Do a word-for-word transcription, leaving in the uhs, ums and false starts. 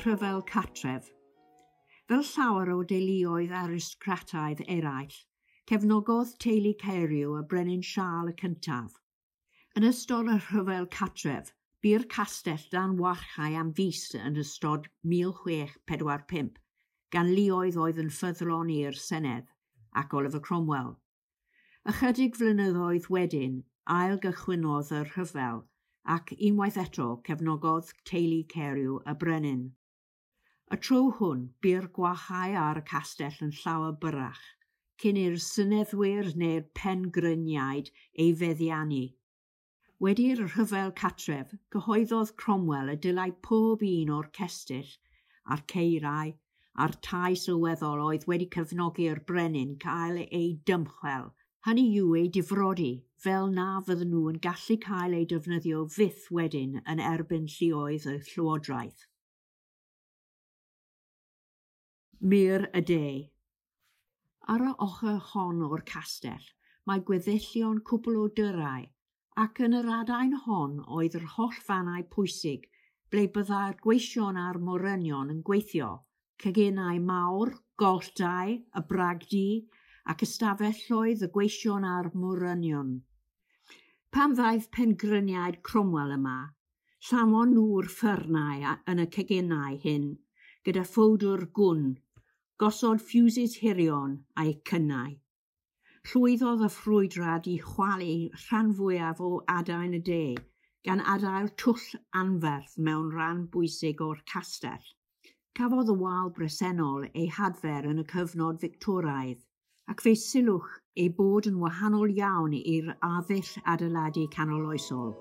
Rhyfel Cartref. Fel llawer o deuluoedd aristocrataidd eraill, cefnogodd teulu Carew y Brenin Siarl y Cyntaf. Yn ystod y Rhyfel Cartref, bu'r castell dan warchae am fis yn ystod mil chwech pedwar pump, gan luoedd oedd yn ffyddlon i'r Senedd ac Oliver Cromwell. Ychydig flynyddoedd wedyn, ail-gychwynnodd y rhyfel ac unwaith eto cefnogodd teulu Carew y Brenin. Y tro hwn, bu'r gwarchae ar y castell yn llawer byrrach, cyn i'r seneddwyr neu'r pengryniaid ei feddiannu. Wedi'r Rhyfel Cartref, cyhoeddodd Cromwell y dylai pob un o'r cestyll a'r caerau a'r tai sylweddol oedd wedi cefnogi'r brenin cael eu dymchwel, hynny yw eu difrodi, fel na fydden nhw yn gallu cael eu defnyddio fyth wedyn yn erbyn lluoedd y llywodraeth. Mur y De. Ar y ochr hon o'r castell, mae gweddillion cwpl o dyrau, ac yn yr adain hon oedd yr holl fannau pwysig ble byddai'r gweision a'r morynion yn gweithio, ceginau mawr, golldai, y bragdy, ac ystafelloedd y gweision a'r morynion. Pan ddaeth pengryniaid Cromwell yma, llanwon nhw'r ffyrnau yn y ceginau hyn, gyda phowdwr gwn, gosod ffiwsys hirion a'u cynnau. Llwyddodd y ffrwydrad i chwalu rhan fwyaf o adain y de, gan adael twll anferth mewn rhan bwysig o'r castell. Cafodd y wal bresennol ei hadfer yn y cyfnod Victoraidd, ac fe sylwch ei bod yn wahanol iawn i'r arddull adeiladu canoloesol.